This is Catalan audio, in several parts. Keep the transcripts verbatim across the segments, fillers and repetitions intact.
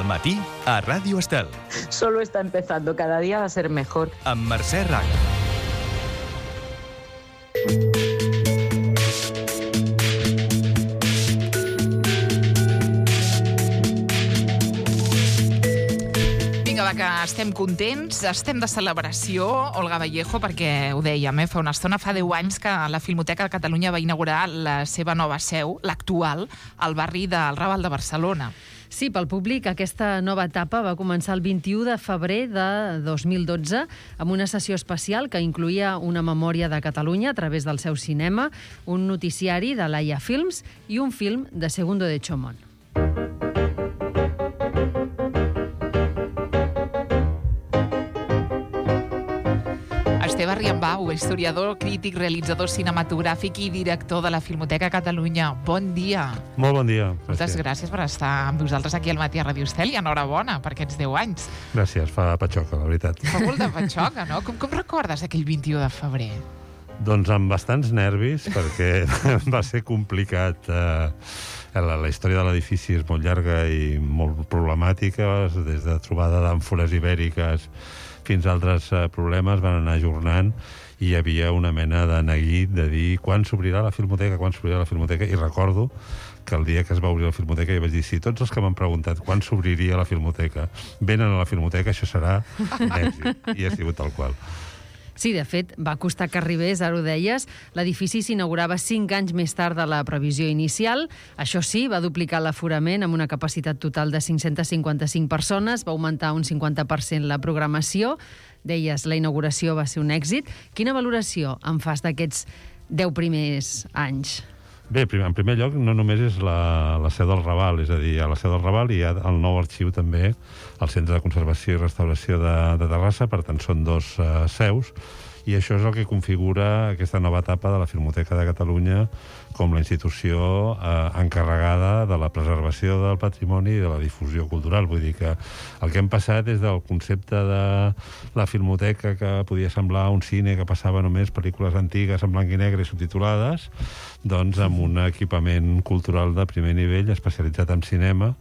matí a Ràdio Estel. Solo está empezando, cada día va a ser mejor. Amb Mercè Raga. Vinga, va, que estem contents, estem de celebració, Olga Vallejo, perquè ho dèiem, eh, fa una estona, fa deu anys que la Filmoteca de Catalunya va inaugurar la seva nova seu, l'actual, al barri del Raval de Barcelona. Sí, pel públic, aquesta nova etapa va començar el vint-i-u de febrer de dos mil dotze amb una sessió especial que incloïa una memòria de Catalunya a través del seu cinema, un noticiari de Laia Films i un film de Segundo de Chomón. Esteve Riambau, historiador, crític, realitzador cinematogràfic i director de la Filmoteca Catalunya. Bon dia. Molt bon dia. Moltes gràcies per estar amb vosaltres aquí al matí a Ràdio Estel i enhorabona per aquests deu anys. Gràcies, fa patxoca, la veritat. Fa molt de patxoca, no? Com, com recordes aquell vint-i-u de febrer? Doncs amb bastants nervis, perquè va ser complicat. Eh, la, la història de l'edifici és molt llarga i molt problemàtica, des de trobada d'àmfores ibèriques fins a altres eh, problemes, van anar ajornant i hi havia una mena de neguit de dir quan s'obrirà la Filmoteca, quan s'obrirà la Filmoteca, i recordo que el dia que es va obrir la Filmoteca jo vaig dir, si tots els que m'han preguntat quan s'obriria la Filmoteca venen a la Filmoteca, això serà un èxit, i ha sigut tal qual. Sí, de fet, va costar que arribés, ara ho deies. L'edifici s'inaugurava cinc anys més tard de la previsió inicial. Això sí, va duplicar l'aforament amb una capacitat total de cinc-centes cinquanta-cinc persones, va augmentar un cinquanta per cent la programació. Deies, la inauguració va ser un èxit. Quina valoració en fas d'aquests deu primers anys? Bé, en primer lloc, no només és la, la seu del Raval, és a dir, a la seu del Raval hi ha el nou arxiu també, al Centre de Conservació i Restauració de, de Terrassa, per tant són dos uh, seus, i això és el que configura aquesta nova etapa de la Filmoteca de Catalunya com la institució eh, encarregada de la preservació del patrimoni i de la difusió cultural. Vull dir que el que hem passat és del concepte de la Filmoteca, que podia semblar un cine que passava només pel·lícules antigues en blanc i negre i subtitulades, doncs amb un equipament cultural de primer nivell especialitzat en cinema,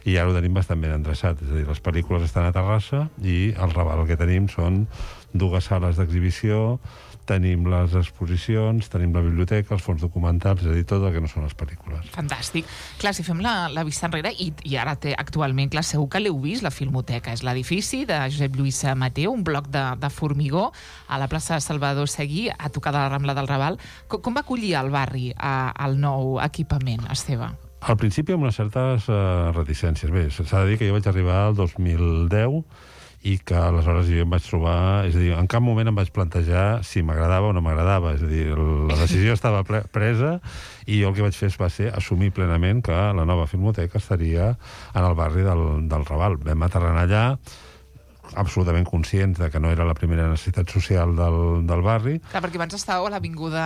i ara ho tenim bastant ben endreçat. És a dir, les pel·lícules estan a Terrassa i al Raval el que tenim són dues sales d'exhibició, tenim les exposicions, tenim la biblioteca, els fons documentals, és a dir, tot el que no són les pel·lícules. Fantàstic. Clar, si fem la, la vista enrere, i, i ara té actualment, clar, segur que l'heu vist, la Filmoteca. És l'edifici de Josep Lluís Mateu, un bloc de, de formigó a la plaça de Salvador Seguí, a tocar de la Rambla del Raval. Com, com va acollir el barri a, al nou equipament, Esteve? Al principi amb unes certes uh, reticències. Bé, s'ha de dir que jo vaig arribar al dos mil deu i que aleshores jo em vaig trobar... És a dir, en cap moment em vaig plantejar si m'agradava o no m'agradava. És a dir, la decisió estava presa i jo el que vaig fer va ser assumir plenament que la nova Filmoteca estaria en el barri del, del Raval. Vam aterrar allà absolutament conscients de que no era la primera necessitat social del, del barri. Clar, perquè abans estàveu a l'avinguda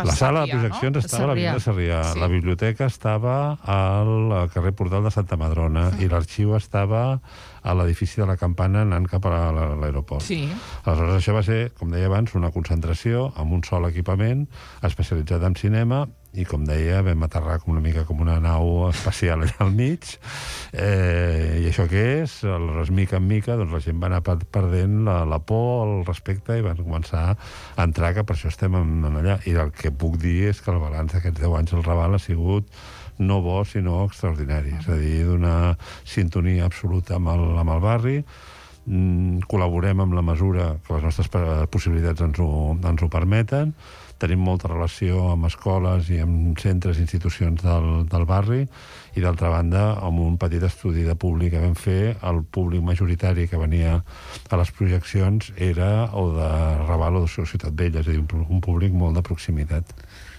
La sala Sarrià, de projeccions no? estava a l'avinguda Sarrià. Sí. La biblioteca estava al carrer Portal de Santa Madrona mm. i l'arxiu estava a l'edifici de la Campana anant cap a l'aeroport. Sí. Aleshores, això va ser, com deia abans, una concentració amb un sol equipament especialitzat en cinema i, com deia, vam aterrar com una mica com una nau espacial allà al mig. Eh, I això què és? Aleshores, mica en mica, doncs la gent va anar perdent la, la por, el respecte, i van començar a entrar, que per això estem en, en allà. I el que puc dir és que el balanç d'aquests deu anys al Raval ha sigut no bo, sinó extraordinari. És a dir, d'una sintonia absoluta amb el, amb el barri. Mm, col·laborem amb la mesura que les nostres possibilitats ens ho, ens ho permeten. Tenim molta relació amb escoles i amb centres i institucions del, del barri, i d'altra banda, amb un petit estudi de públic que vam fer, el públic majoritari que venia a les projeccions era o de Raval o de Ciutat Vella, és a dir, un, un públic molt de proximitat.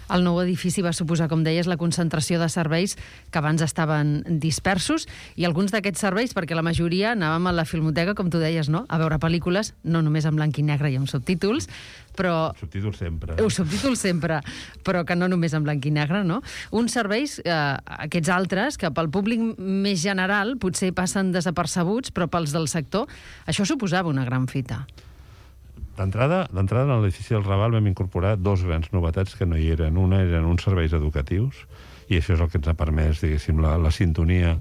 El nou edifici va suposar, com deies, la concentració de serveis que abans estaven dispersos, i alguns d'aquests serveis, perquè la majoria anàvem a la Filmoteca, com tu deies, no?, a veure pel·lícules, no només en blanc i negre i amb subtítols, però... Subtítols sempre. Eh, subtítols sempre, però que no només en blanc i negre, no? Uns serveis, eh, aquests altres, que pel públic més general potser passen desapercebuts, però pels del sector, això suposava una gran fita. D'entrada, d'entrada en l'edifici del Raval vam incorporar dos grans novetats que no hi eren. Una eren uns serveis educatius i això és el que ens ha permès, diguéssim, la, la sintonia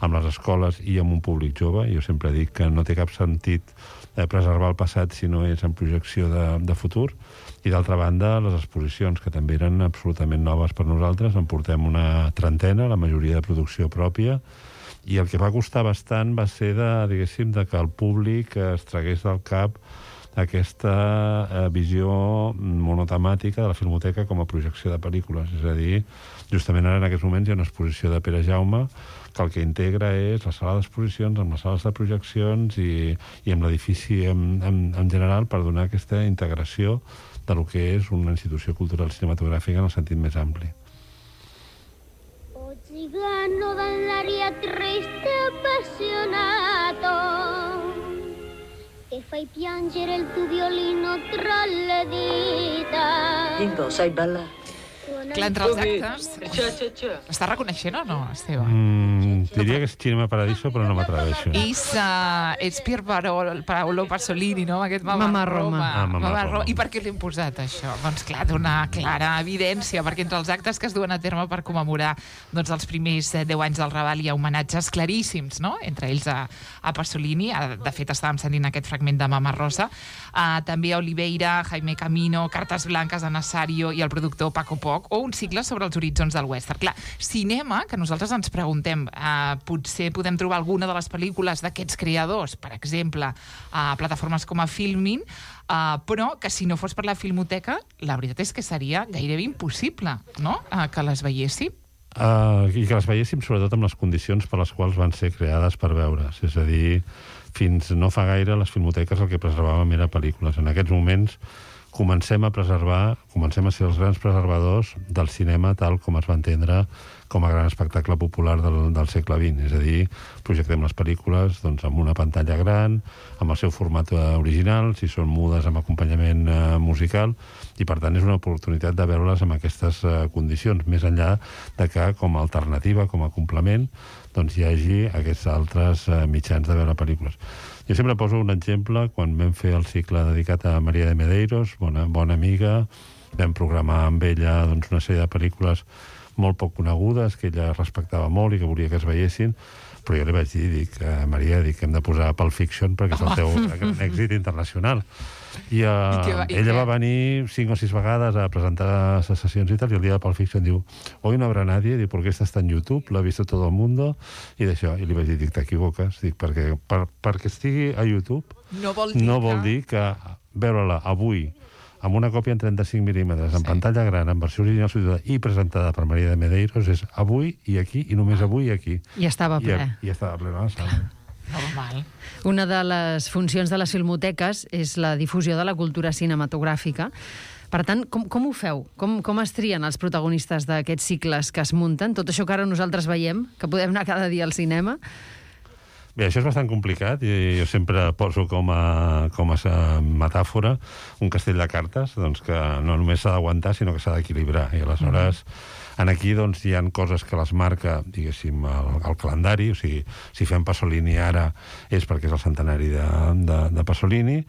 amb les escoles i amb un públic jove. Jo sempre dic que no té cap sentit eh, preservar el passat si no és en projecció de, de futur. I d'altra banda, les exposicions, que també eren absolutament noves per nosaltres, en portem una trentena, la majoria de producció pròpia, i el que va costar bastant va ser de, diguéssim, de que el públic es tragués del cap aquesta eh, visió monotemàtica de la Filmoteca com a projecció de pel·lícules. És a dir, justament ara en aquests moments hi ha una exposició de Pere Jaume que el que integra és la sala d'exposicions amb les sales de projeccions i, i amb l'edifici en, en, en general per donar aquesta integració de lo que és una institució cultural cinematogràfica en el sentit més ampli. O cigano dall'aria triste appassionato che fai piangere il tuo violino tra le dita. Quinto, sai ballare? Clar, entre els actes... L'estàs reconeixent o no, Esteve? Mm, diria que és Cinema Paradiso, però no m'atreveixo. És, uh, és Pier Paolo, Paolo Pasolini, no? Aquest Mamma, Mamma Roma. Roma. Ah, Mamma Roma. I per què l'hem posat, això? Doncs clar, d'una clara evidència, perquè entre els actes que es duen a terme per commemorar doncs, els primers deu anys del Raval hi ha homenatges claríssims, no? Entre ells a, a Pasolini. De fet, estàvem sentint aquest fragment de Mama Rosa. Uh, també a Oliveira, Jaime Camino, Cartes Blanques, a Nazario i el productor Paco Poch, o un cicle sobre els horitzons del western. Clar, cinema, que nosaltres ens preguntem, eh, potser podem trobar alguna de les pel·lícules d'aquests creadors, per exemple, a plataformes com a Filmin, eh, però que si no fos per la Filmoteca, la veritat és que seria gairebé impossible, no?, eh, que les veiéssim. Uh, I que les veiéssim sobretot amb les condicions per les quals van ser creades per veure's. És a dir, fins no fa gaire les filmoteques el que preservàvem era pel·lícules. En aquests moments comencem a preservar, comencem a ser els grans preservadors del cinema tal com es va entendre com a gran espectacle popular del, del segle vint. És a dir, projectem les pel·lícules doncs, amb una pantalla gran, amb el seu format original, si són mudes amb acompanyament eh, musical, i per tant és una oportunitat de veure-les amb aquestes eh, condicions, més enllà de que com a alternativa, com a complement, doncs hi hagi aquests altres eh, mitjans de veure pel·lícules. Jo sempre poso un exemple, quan vam fer el cicle dedicat a Maria de Medeiros, bona, bona amiga, vam programar amb ella doncs, una sèrie de pel·lícules molt poc conegudes, que ella respectava molt i que volia que es veiessin, però jo li vaig dir, dic, a Maria, dic que hem de posar Pulp Fiction perquè és el teu gran èxit internacional. I, uh, I va, i ella què? va venir cinc o sis vegades a presentar les sessions i tal, i el dia de Pulp Fiction diu, hoy no habrá nadie, diu, porque esta está en YouTube, l'ha vist todo el mundo, i d'això, i li vaig dir, dic, t'equivoques, dic, perquè, per, perquè estigui a YouTube no vol dir, no que... vol dir que veure-la avui amb una còpia en trenta-cinc mil·límetres, en sí. pantalla gran, en versió original i presentada per Maria de Medeiros, és avui i aquí, i només avui i aquí. I estava ple. I, i estava ple a la sala. Normal. Una de les funcions de les filmoteques és la difusió de la cultura cinematogràfica. Per tant, com, com ho feu? Com, com es trien els protagonistes d'aquests cicles que es munten? Tot això que ara nosaltres veiem, que podem anar cada dia al cinema... Bé, això és bastant complicat i jo sempre poso com a, com a metàfora un castell de cartes doncs, que no només s'ha d'aguantar, sinó que s'ha d'equilibrar. I aleshores, en aquí doncs, hi ha coses que les marca, diguéssim, el, el calendari, o sigui, si fem Pasolini ara és perquè és el centenari de, de, de Pasolini,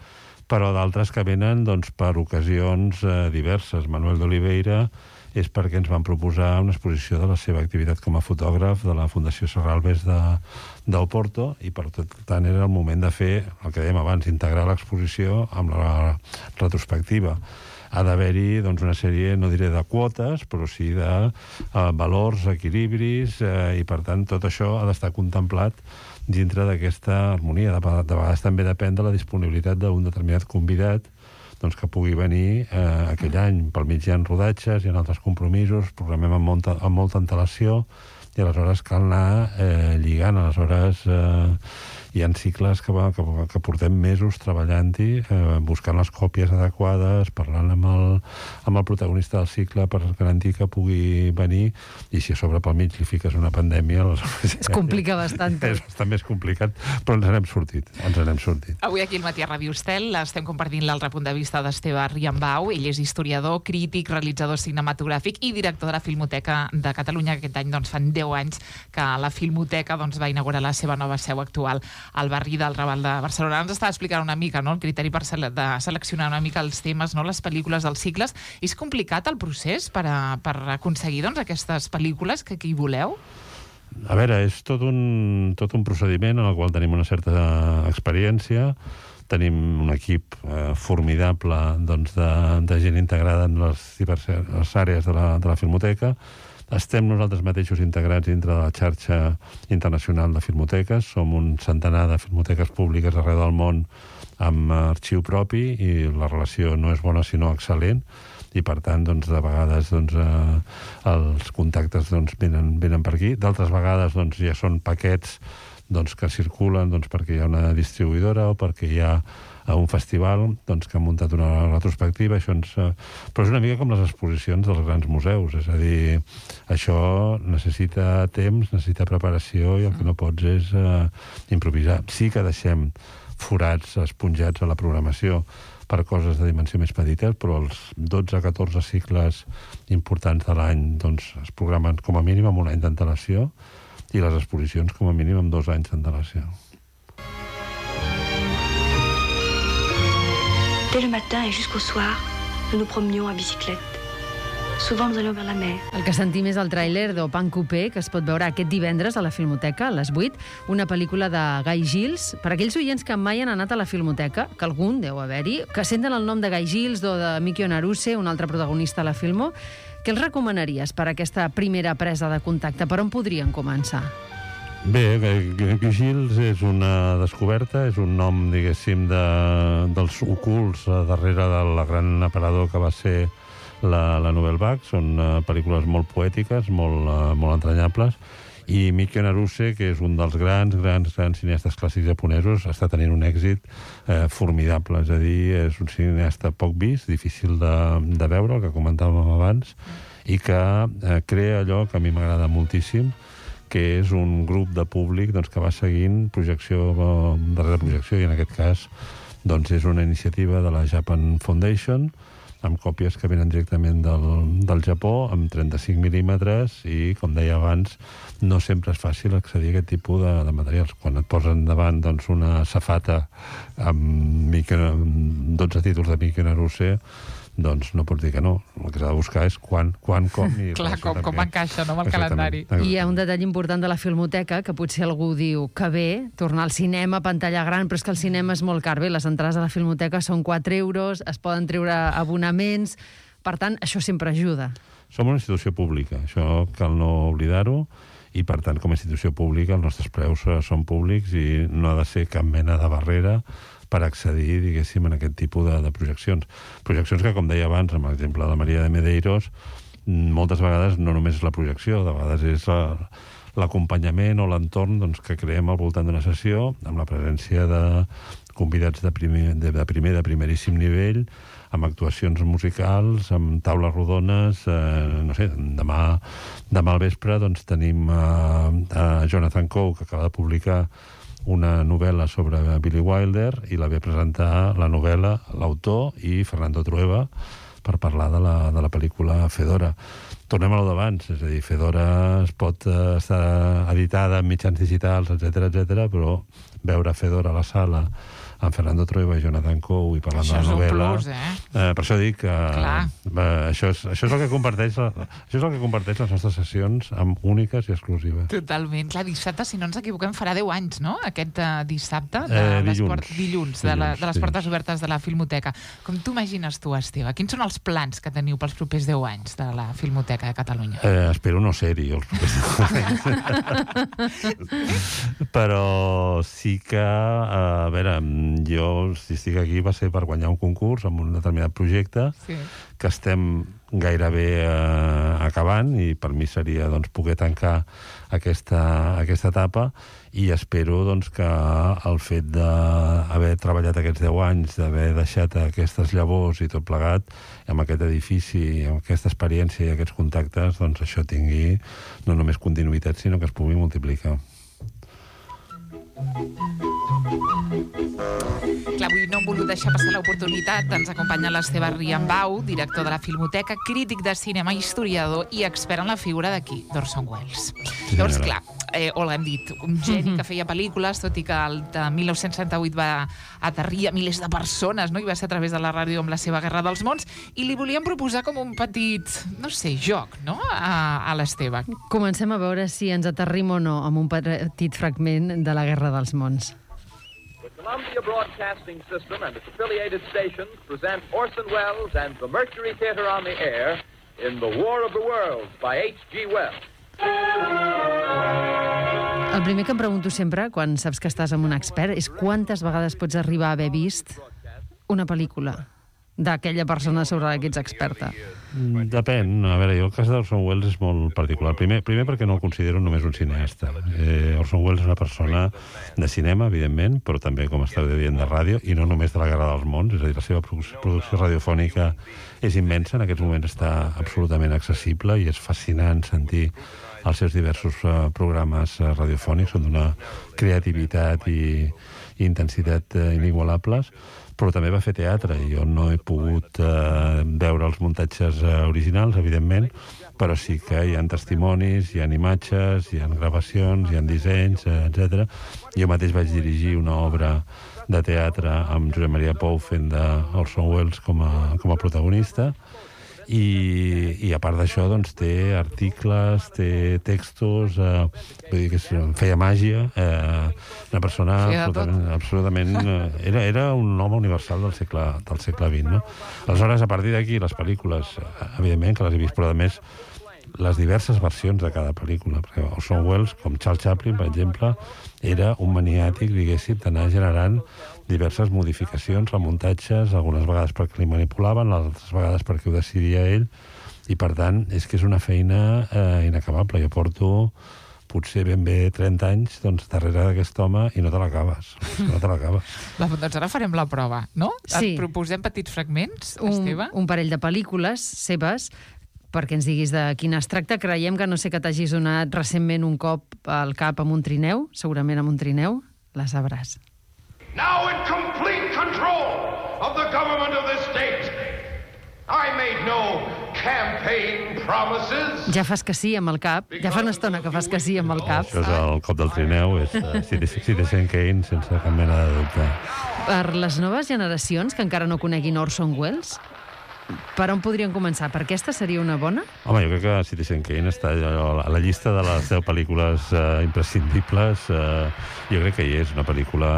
però d'altres que venen doncs, per ocasions eh, diverses. Manuel d'Oliveira és perquè ens van proposar una exposició de la seva activitat com a fotògraf de la Fundació Serralbes de, d'Oporto, i per tant era el moment de fer el que dèiem abans, integrar l'exposició amb la retrospectiva. Ha d'haver-hi doncs, una sèrie, no diré de quotes, però sí de uh, valors, equilibris, uh, i per tant tot això ha d'estar contemplat dintre d'aquesta harmonia. De, de vegades també depèn de la disponibilitat d'un determinat convidat doncs, que pugui venir eh, aquell any. Pel mig hi ha rodatges, hi ha altres compromisos, programem amb molta, amb molta antelació, i aleshores cal anar eh, lligant. Aleshores eh, hi ha cicles que, va, que, que portem mesos treballant-hi, eh, buscant les còpies adequades, parlant amb el, amb el protagonista del cicle per garantir que pugui venir, i si a sobre pel mig li fiques una pandèmia... Aleshores, es complica bastant. És bastant més complicat, però ens n'hem sortit, ens n'hem sortit. Avui aquí al Matí a Ràdio Estel estem compartint l'altre punt de vista d'Esteve Riambau. Ell és historiador, crític, realitzador cinematogràfic i director de la Filmoteca de Catalunya. Aquest any doncs, fan deu anys que la Filmoteca doncs, va inaugurar la seva nova seu actual al barri del Raval de Barcelona. Ens estava explicant una mica, no?, el criteri per sele de seleccionar una mica els temes, no?, les pel·lícules dels cicles. És complicat el procés per, a, per aconseguir, doncs, aquestes pel·lícules que, que hi voleu? A veure, és tot un, tot un procediment en el qual tenim una certa experiència. Tenim un equip eh, formidable, doncs, de, de gent integrada en les diverses àrees de la, de la Filmoteca. Estem nosaltres mateixos integrats dintre de la xarxa internacional de filmoteques. Som un centenar de filmoteques públiques arreu del món amb arxiu propi i la relació no és bona sinó excel·lent. I, per tant, doncs, de vegades doncs, eh, els contactes doncs, venen, venen per aquí. D'altres vegades doncs, ja són paquets doncs, que circulen doncs, perquè hi ha una distribuïdora o perquè hi ha un festival doncs, que ha muntat una retrospectiva. Això ens, eh... Però és una mica com les exposicions dels grans museus. És a dir, això necessita temps, necessita preparació i el que no pots és eh, improvisar. Sí que deixem forats esponjats a la programació per coses de dimensió més petites, però els dotze a catorze cicles importants de l'any doncs, es programen com a mínim amb un any d'antelació i les exposicions com a mínim amb dos anys d'antelació. Dès le matin et jusqu'au soir, nous nous promenions à bicyclette. Souvent nous allions vers la mer. El que sentim és el tràiler d'Opan Coupé, que es pot veure aquest divendres a la Filmoteca, a les vuit, una pel·lícula de Guy Gilles. Per aquells oients que mai han anat a la Filmoteca, que algun deu haver-hi, que senten el nom de Guy Gilles o de Mikio Naruse, un altre protagonista a la Filmo, què els recomanaries per a aquesta primera presa de contacte? Per on podrien començar? Bé, Guy Gilles és una descoberta, és un nom, diguéssim, de, dels ocults darrere de la gran aparador que va ser la, la Nouvelle Vague. Són uh, pel·lícules molt poètiques, molt, uh, molt entranyables, i Mikio Naruse, que és un dels grans, grans, grans cineastes clàssics japonesos, està tenint un èxit eh, formidable. És a dir, és un cineasta poc vist, difícil de, de veure, el que comentàvem abans, i que eh, crea allò que a mi m'agrada moltíssim, que és un grup de públic doncs, que va seguint projecció darrere projecció, i en aquest cas doncs, és una iniciativa de la Japan Foundation, amb còpies que venen directament del, del Japó, amb trenta-cinc mil·límetres, i, com deia abans, no sempre és fàcil accedir a aquest tipus de, de materials. Quan et posen davant doncs, una safata amb, Mikio, amb dotze títols de Mikio Naruse, doncs no pots dir que no. El que s'ha de buscar és quan, quan, com... I clar, com, com encaixa, no?, amb el calendari. I hi ha un detall important de la Filmoteca, que potser algú diu que bé, tornar al cinema, pantalla gran, però és que el cinema és molt car. Bé, les entrades a la Filmoteca són quatre euros, es poden treure abonaments, per tant, això sempre ajuda. Som una institució pública, això cal no oblidar-ho, i per tant, com a institució pública, els nostres preus són públics i no ha de ser cap mena de barrera per accedir, diguéssim, en aquest tipus de, de projeccions. Projeccions que, com deia abans, amb l'exemple de la Maria de Medeiros, moltes vegades no només és la projecció, de vegades és l'acompanyament o l'entorn doncs, que creem al voltant d'una sessió, amb la presència de convidats de primer, de, de primer, de primeríssim nivell, amb actuacions musicals, amb taules rodones. Eh, no sé, demà, demà al vespre doncs, tenim eh, a Jonathan Coe, que acaba de publicar una novel·la sobre Billy Wilder, i la ve a presentar la novel·la, l'autor i Fernando Trueba, per parlar de la, de la pel·lícula Fedora. Tornem a lo d'abans, és a dir, Fedora es pot eh, estar editada en mitjans digitals, etcètera, etcètera, però veure Fedora a la sala amb Fernando Trueba i Jonathan Coe i parlant això de la novel·la... Plus, eh? eh, per això dic que eh, això, és, això, és el que comparteix la, això és el que comparteix les nostres sessions amb úniques i exclusives. Totalment. Clar, dissabte, si no ens equivoquem, farà deu anys, no?, aquest uh, dissabte de eh, les dilluns. port... dilluns, de, la, de les portes obertes de la Filmoteca. Com t'imagines tu, Esteve? Quins són els plans que teniu pels propers deu anys de la Filmoteca de Catalunya? Eh, espero no ser-hi els propers deu anys. Però sí que, a veure, jo, si estic aquí, va ser per guanyar un concurs amb un determinat projecte, sí, que estem gairebé eh, acabant, i per mi seria doncs, poder tancar aquesta, aquesta etapa, i espero doncs, que el fet d'haver treballat aquests deu anys, d'haver deixat aquestes llavors i tot plegat, amb aquest edifici, amb aquesta experiència i aquests contactes, doncs això tingui no només continuïtat, sinó que es pugui multiplicar. Clar, avui no hem volgut deixar passar l'oportunitat. Ens acompanya l'Esteve Riambau, director de la Filmoteca, crític de cinema, historiador i expert en la figura d'aquí, d'Orson Welles. Sí, Llavors, senyora. clar, eh, Olga, hem dit, un geni que feia pel·lícules, tot i que el de mil nou-cents setanta-vuit va aterrir a milers de persones, no? I va ser a través de la ràdio amb la seva Guerra dels Mons, i li volíem proposar com un petit, no sé, joc, no?, a, a l'Esteve. Comencem a veure si ens aterrim o no amb un petit fragment de la Guerra dels Mons. The Columbia Broadcasting System and its affiliated stations present Orson Welles and the Mercury Theatre on the Air in The War of the Worlds by H G Wells. El primer que em pregunto sempre, quan saps que estàs amb un expert, és quantes vegades pots arribar a haver vist una pel·lícula d'aquella persona sobre la que ets experta. Depèn. A veure, jo el cas d'Orson Welles és molt particular. Primer, primer perquè no el considero només un cineasta. Eh, Orson Welles és una persona de cinema, evidentment, però també, com estàveu dient, de ràdio, i no només de la Guerra dels Mons. És a dir, la seva producció radiofònica és immensa. En aquests moments està absolutament accessible i és fascinant sentir els seus diversos uh, programes uh, radiofònics. Són d'una creativitat i, i intensitat uh, inigualables. Però també va fer teatre, i jo no he pogut eh, veure els muntatges eh, originals, evidentment, però sí que hi ha testimonis, hi ha imatges, hi ha gravacions, hi ha dissenys, eh, etcètera. Jo mateix vaig dirigir una obra de teatre amb Josep Maria Pou fent d'Orson Welles com a, com a protagonista, i, i a part d'això doncs, té articles, té textos, eh, vull dir que és, feia màgia, eh, una persona absolutament, absolutament eh, era, era un home universal del segle, del segle vint, no? Aleshores, a partir d'aquí, les pel·lícules, evidentment que les he vist, però a més les diverses versions de cada pel·lícula, perquè Orson Welles, com Charles Chaplin, per exemple, era un maniàtic, diguéssim, d'anar generant diverses modificacions, remuntatges, algunes vegades perquè li manipulaven, altres vegades perquè ho decidia ell, i per tant és que és una feina eh, inacabable. Jo porto potser ben bé trenta anys doncs, darrere d'aquest home i no te l'acabes. No te l'acabes. Va, doncs ara farem la prova, no? Sí. Et proposem petits fragments, Un, Esteve? un parell de pel·lícules seves perquè ens diguis de quina es tracta. Creiem que no sé que t'hagis donat recentment un cop al cap amb un trineu, segurament amb un trineu, la sabràs. Now in complete control of the government of this state, I made no campaign promises. Ja fas que sí amb el cap, ja fa una estona que fas que sí amb el cap. Això és el cop del trineu, és uh, Citizen Kane, sense cap mena de dubte. Per les noves generacions que encara no coneguin Orson Welles, per on podrien començar? Per aquesta seria una bona? Home, jo crec que Citizen Kane està a la llista de les deu pel·lícules uh, imprescindibles. Uh, jo crec que hi és una pel·lícula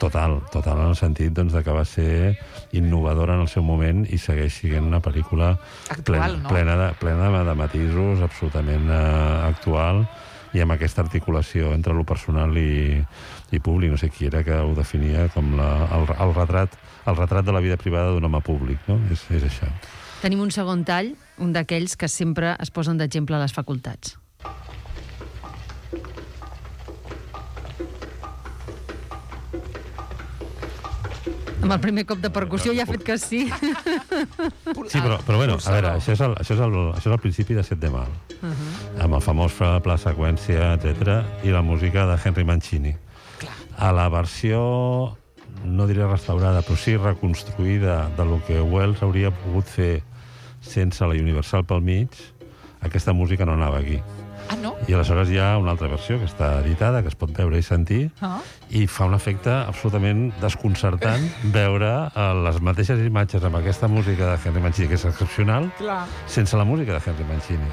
total, total en el sentit doncs, de que va ser innovadora en el seu moment i segueix sent una pel·lícula Actual, plena, no? plena, de, plena de matisos, absolutament uh, actual, i amb aquesta articulació entre lo personal i, i públic. No sé qui era que ho definia com la, el, el, retrat, el retrat de la vida privada d'un home públic, no? És, és això. Tenim un segon tall, un d'aquells que sempre es posen d'exemple a les facultats. Amb el primer cop de percussió ja ha fet que sí. Sí, però, però bueno, a veure, això és el, això és el, això és el principi de Set de Mal, uh -huh. amb el famós pla seqüència, etcètera, i la música de Henry Mancini. A la versió, no diré restaurada, però sí reconstruïda de lo que Welles hauria pogut fer sense la Universal pel mig, aquesta música no anava aquí. Ah, no? I aleshores hi ha una altra versió que està editada, que es pot veure i sentir, Ah. i fa un efecte absolutament desconcertant veure eh, les mateixes imatges amb aquesta música de Henry Mancini, que és excepcional, Clar. sense la música de Henry Mancini.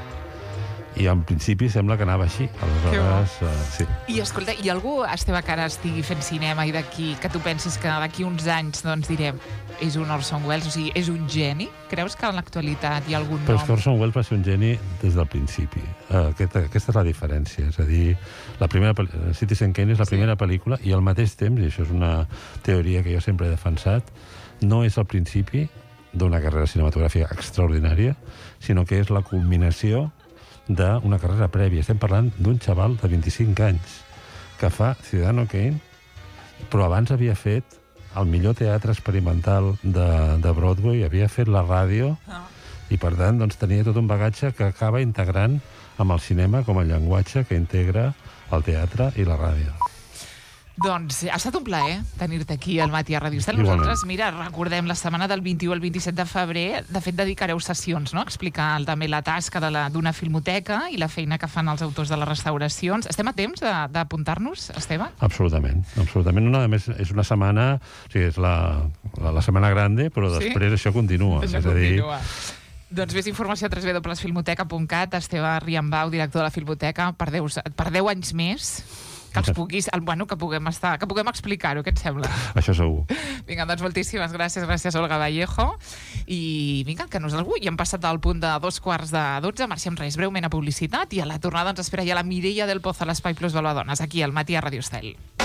I en principi sembla que anava així. Aleshores, eh, sí. I escolta, hi ha algú, Esteve, que ara estigui fent cinema i d'aquí, que tu pensis que d'aquí uns anys, doncs direm, és un Orson Welles, o sigui, és un geni? Creus que en l'actualitat hi ha algun Però nom? és que Orson Welles va ser un geni des del principi. Uh, aquesta, aquesta és la diferència. És a dir, la primera pel·lícula, Citizen Kane és la primera sí. pel·lícula, i al mateix temps, i això és una teoria que jo sempre he defensat, no és el principi d'una carrera cinematogràfica extraordinària, sinó que és la culminació d'una carrera prèvia. Estem parlant d'un xaval de vint-i-cinc anys que fa Ciudadano Kane, però abans havia fet el millor teatre experimental de, de Broadway, havia fet la ràdio, Ah. i per tant doncs, tenia tot un bagatge que acaba integrant amb el cinema com a llenguatge que integra el teatre i la ràdio. Doncs ha estat un plaer tenir-te aquí al matí a Ràdio Estel. Nosaltres, mira, recordem la setmana del vint-i-u al vint-i-set de febrer, de fet dedicareu sessions, no?, a explicar també la tasca de la- d'una filmoteca i la feina que fan els autors de les restauracions. Estem a temps de- d'apuntar-nos, Esteve? Absolutament, absolutament. No, a més, és una setmana, o sigui, és la, la, la setmana grande, però Sí? després això continua. Això és a dir, continua. Doncs més informació a w w w punt filmoteca punt cat. Esteve Riambau, director de la Filmoteca, per deu, per deu anys més, que els puguis, el, bueno, que puguem estar, que puguem explicar-ho, què et sembla? això segur. Vinga, doncs moltíssimes gràcies, gràcies Olga Vallejo. I vinga, que no és algú, ja hem passat al punt de dos quarts de dotze, marxem res breument a publicitat i a la tornada ens espera ja la Mireia del Pozo a l'Espai Plus Valvadones, aquí al matí a Ràdio Estel.